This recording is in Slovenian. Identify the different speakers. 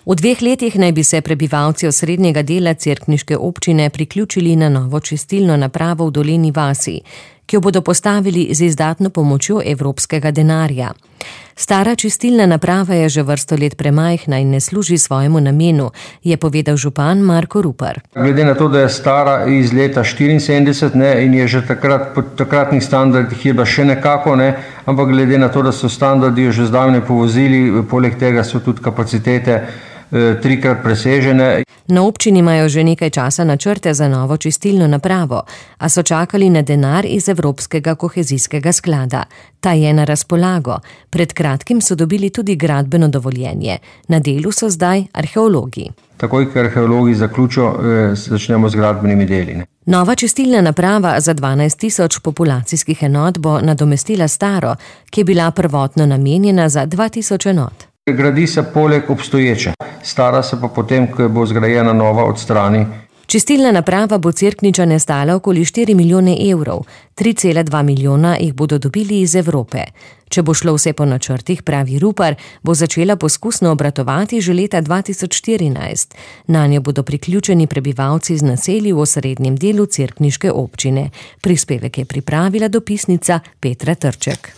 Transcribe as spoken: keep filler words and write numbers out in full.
Speaker 1: V dveh letih naj bi se prebivalci osrednjega dela cerkniške občine priključili na novo čistilno napravo v Dolenji vasi, ki jo bodo postavili z izdatno pomočjo evropskega denarja. Stara čistilna naprava je že vrsto let premajhna in ne služi svojemu namenu, je povedal župan Marko Rupar.
Speaker 2: Glede na to, da je stara iz leta štiriinsedemdeset ne, in je že takrat po takratnih standardih je bila še nekako, ne, ampak glede na to, da so standardi jo že zdavnaj povozili, poleg tega so tudi kapacitete trikrat presežene.
Speaker 1: Na občini imajo že nekaj časa načrte za novo čistilno napravo, a so čakali na denar iz Evropskega kohezijskega sklada. Ta je na razpolago. Pred kratkim so dobili tudi gradbeno dovoljenje. Na delu so zdaj arheologi.
Speaker 2: Takoj, ker arheologi zaključijo, začnemo z gradbenimi deli. Ne.
Speaker 1: Nova čistilna naprava za dvanajst tisoč populacijskih enot bo nadomestila staro, ki je bila prvotno namenjena za dva tisoč enot.
Speaker 2: Gradi se poleg obstoječe, stara se pa potem, ko bo zgrajena nova, odstrani.
Speaker 1: Čistilna naprava bo Cerkničane stala okoli štiri milijone evrov, tri cela dva milijona jih bodo dobili iz Evrope. Če bo šlo vse po načrtih, pravi Rupar, bo začela poskusno obratovati že leta dva tisoč štirinajst. Nanjo bodo priključeni prebivalci z naselij v osrednjem delu cerkniške občine. Prispevek je pripravila dopisnica Petra Trček.